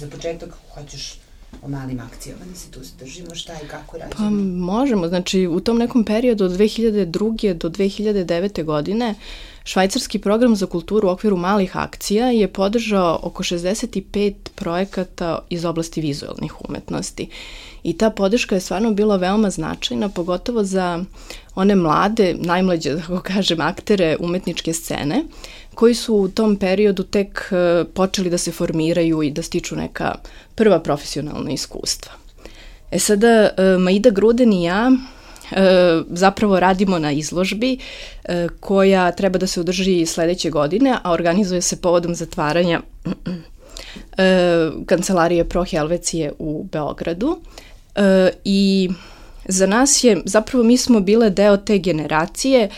Za početak hoćeš o malim akcijama da se tu zadržimo, šta i kako radimo? Pa možemo, znači u tom nekom periodu od 2002. do 2009. godine švajcarski program za kulturu u okviru malih akcija je podržao oko 65 projekata iz oblasti vizualnih umetnosti. I ta podrška je stvarno bila veoma značajna, pogotovo za one mlade, najmlađe, da tako kažem, aktere umetničke scene, koji su u tom periodu tek počeli da se formiraju i da stiču neka prva profesionalna iskustva. Sada, Maida Gruden i ja zapravo radimo na izložbi koja treba da se održi sledeće godine, a organizuje se povodom zatvaranja kancelarije Pro Helvecije u Beogradu. I za nas je, zapravo mi smo bile deo te generacije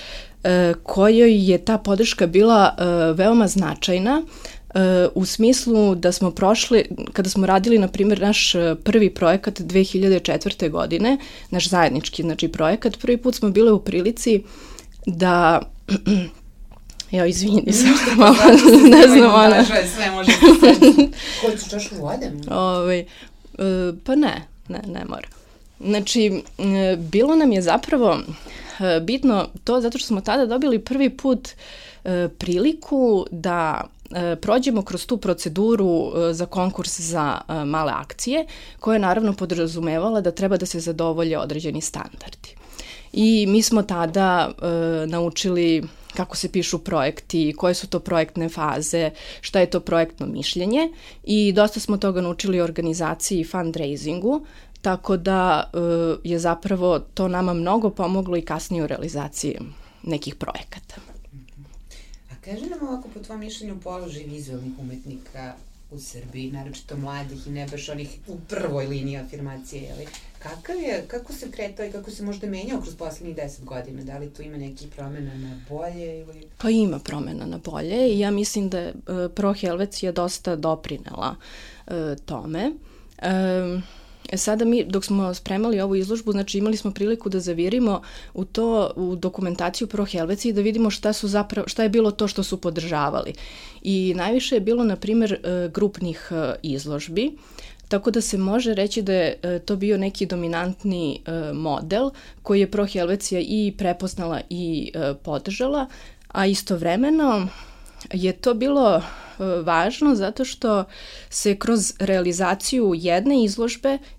kojoj je ta podrška bila veoma značajna u smislu da smo prošli, kada smo radili, na primjer, naš prvi projekat 2004. godine, naš zajednički, znači, projekat, prvi put smo bile u prilici da... izvini, sam malo, ne znam, ona... Sve može Koju ću čašu vode? Pa ne mora. Znači, bilo nam je zapravo bitno to zato što smo tada dobili prvi put priliku da prođemo kroz tu proceduru za konkurs za male akcije, koja je naravno podrazumevala da treba da se zadovolje određeni standardi. I mi smo tada naučili kako se pišu projekti, koje su to projektne faze, šta je to projektno mišljenje i dosta smo toga naučili o organizaciji i fundraisingu, tako da je zapravo to nama mnogo pomoglo i kasnije u realizaciji nekih projekata. A kaži nam ovako, po tvojom mišljenju, položaj vizualnih umetnika u Srbiji, naročito mladih i ne baš onih u prvoj liniji afirmacije, ali kako se kretao i kako se možda menjao kroz poslednjih 10 godina? Da li tu ima nekih promena na bolje ili... Pa ima promena na bolje i ja mislim da je Pro Helvecija dosta doprinela tome. Sada mi, dok smo spremali ovu izložbu, znači imali smo priliku da zavirimo u dokumentaciju Pro Helvecije i da vidimo šta je bilo to što su podržavali. I najviše je bilo, na primjer, grupnih izložbi, tako da se može reći da je to bio neki dominantni model koji je Pro Helvecija i prepoznala i podržala, a istovremeno je to bilo važno zato što se kroz realizaciju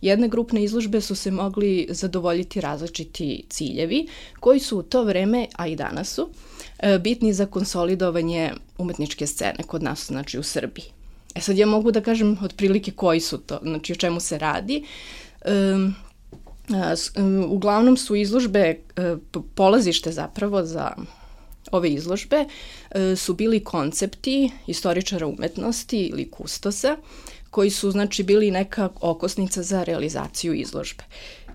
jedne grupne izložbe su se mogli zadovoljiti različiti ciljevi koji su u to vreme, a i danas su, bitni za konsolidovanje umetničke scene kod nas, znači u Srbiji. Sad ja mogu da kažem otprilike koji su to, znači o čemu se radi. Uglavnom su izložbe, polazište zapravo za ove izložbe su bili koncepti istoričara umetnosti ili kustosa, koji su, znači, bili neka okosnica za realizaciju izložbe.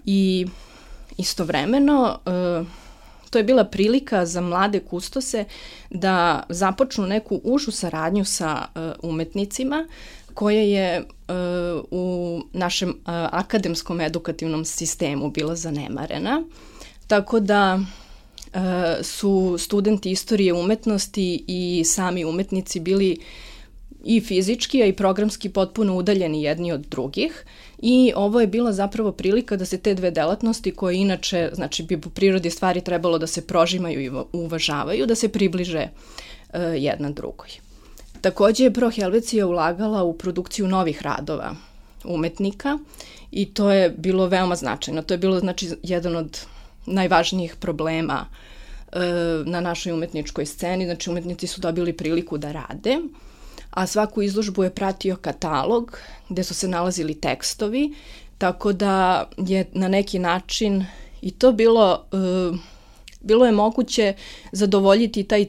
I istovremeno to je bila prilika za mlade kustose da započnu neku užu saradnju sa umetnicima koja je u našem akademskom edukativnom sistemu bila zanemarena. Tako da su studenti istorije umetnosti i sami umetnici bili i fizički, a i programski potpuno udaljeni jedni od drugih i ovo je bila zapravo prilika da se te dve delatnosti koje inače, znači bi po prirodi stvari trebalo da se prožimaju i uvažavaju, da se približe jedna drugoj. Takođe je Pro Helvecija ulagala u produkciju novih radova umetnika i to je bilo veoma značajno. To je bilo, znači, jedan od najvažnijih problema na našoj umetničkoj sceni, znači umetnici su dobili priliku da rade, a svaku izložbu je pratio katalog gde su se nalazili tekstovi, tako da je na neki način i to bilo je moguće zadovoljiti taj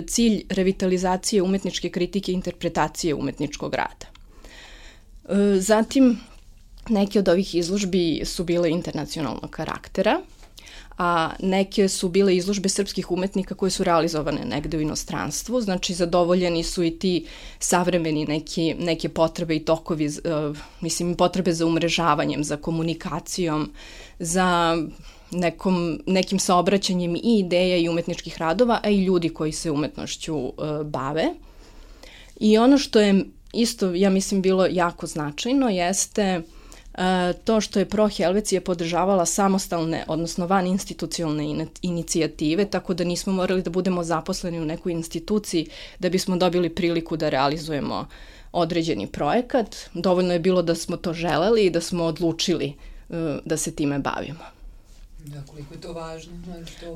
cilj revitalizacije umetničke kritike i interpretacije umetničkog rada. Zatim, neke od ovih izložbi su bile internacionalnog karaktera, a neke su bile izložbe srpskih umetnika koje su realizovane negde u inostranstvu, znači zadovoljeni su i ti savremeni neke potrebe i tokovi, potrebe za umrežavanjem, za komunikacijom, za nekim saobraćanjem i ideja i umetničkih radova, a i ljudi koji se umetnošću bave. I ono što je isto, ja mislim, bilo jako značajno jeste to što je Pro Helvecija podržavala samostalne, odnosno van institucionalne inicijative, tako da nismo morali da budemo zaposleni u nekoj instituciji da bismo dobili priliku da realizujemo određeni projekat. Dovoljno je bilo da smo to želeli i da smo odlučili da se time bavimo. Da, koliko je to važno?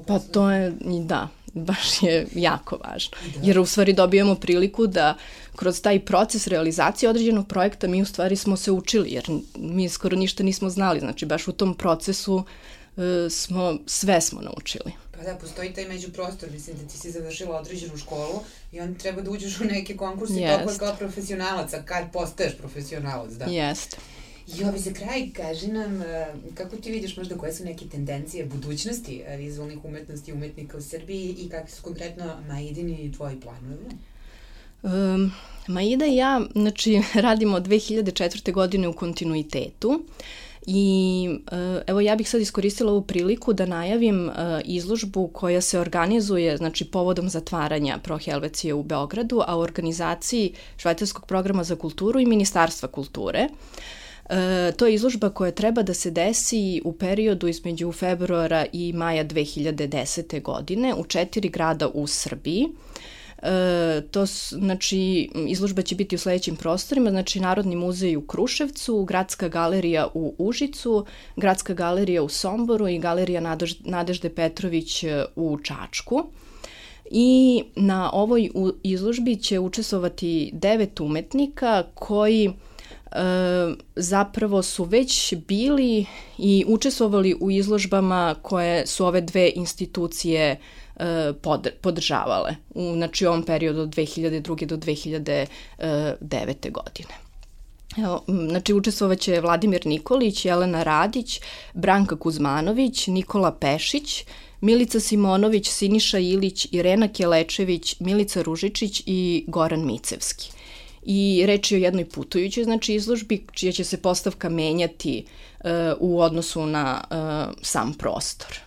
Pa to je, da, baš je jako važno. Jer u stvari dobijamo priliku da kroz taj proces realizacije određenog projekta mi u stvari smo se učili, jer mi skoro ništa nismo znali. Znači, baš u tom procesu sve smo naučili. Pa da, postoji taj međuprostor, mislim da ti si završila određenu školu i onda treba da uđeš u neke konkurse toliko kao profesionalac, a kad postaješ profesionalac, da. Jeste. I za kraj, kaži nam, kako ti vidiš možda koje su neke tendencije budućnosti vizualnih umetnosti i umetnika u Srbiji i kakvi su konkretno Maidini i tvoji planovi? Maida i ja, znači, radimo od 2004. godine u kontinuitetu i evo ja bih sad iskoristila ovu priliku da najavim izložbu koja se organizuje, znači, povodom zatvaranja Pro Helvecije u Beogradu, a u organizaciji Švajcarskog programa za kulturu i Ministarstva kulture. To je izložba koja treba da se desi u periodu između februara i maja 2010. godine u 4 grada u Srbiji. Znači, izložba će biti u sledećim prostorima, znači Narodni muzej u Kruševcu, Gradska galerija u Užicu, Gradska galerija u Somboru i Galerija Nadežde Petrović u Čačku. I na ovoj izložbi će učestvovati 9 umetnika koji zapravo su već bili i učestvovali u izložbama koje su ove dve institucije podržavale u, znači, ovom periodu od 2002. do 2009. godine. Evo, znači, učestvovaće Vladimir Nikolić, Jelena Radić, Branka Kuzmanović, Nikola Pešić, Milica Simonović, Siniša Ilić, Irena Kelečević, Milica Ružičić i Goran Micevski. I reč je o jednoj putujućoj, znači, izložbi čija će se postavka menjati u odnosu na sam prostor.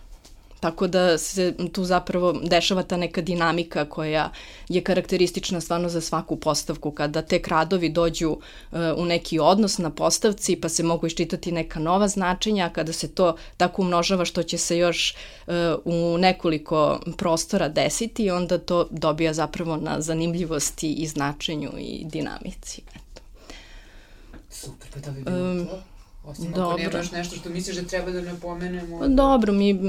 Tako da se tu zapravo dešava ta neka dinamika koja je karakteristična stvarno za svaku postavku, kada tek radovi dođu u neki odnos na postavci pa se mogu iščitati neka nova značenja, kada se to tako umnožava što će se još u nekoliko prostora desiti, onda to dobija zapravo na zanimljivosti i značenju i dinamici. Eto. Super, pa da bi bilo to. Osim ako nemaš nešto što misliš da treba da napomenemo. Dobro, mi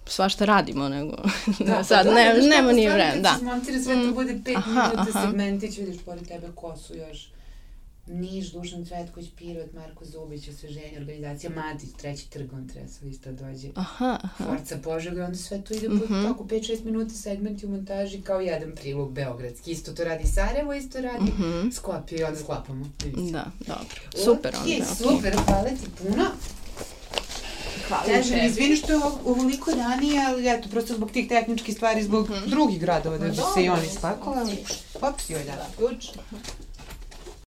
svašta radimo, nego sad nema ni vremena. Da, smontira sve, to bude 5 minuta segmentić, vidiš pored tebe ko su još Niš, Dušan Cvetković, Pirot, Marko Zubić, Osveženje, organizacija Matić, 3. trg, on treba sad isto dođe. Forca Požega, onda sve to ide po tako 5-6 minuta segmenti u montaži kao jedan prilog beogradski. Isto to radi Sarajevo, isto radi Skopje i onda sklapamo. Da, dobro. Super. Super, hvala ti puno. Hvala tebi. Izvini što je ovoliko ranije, ali eto, prosto zbog tih tehničkih stvari, zbog drugih gradova da bi se i oni spakovali. Ops, joj da, ključ.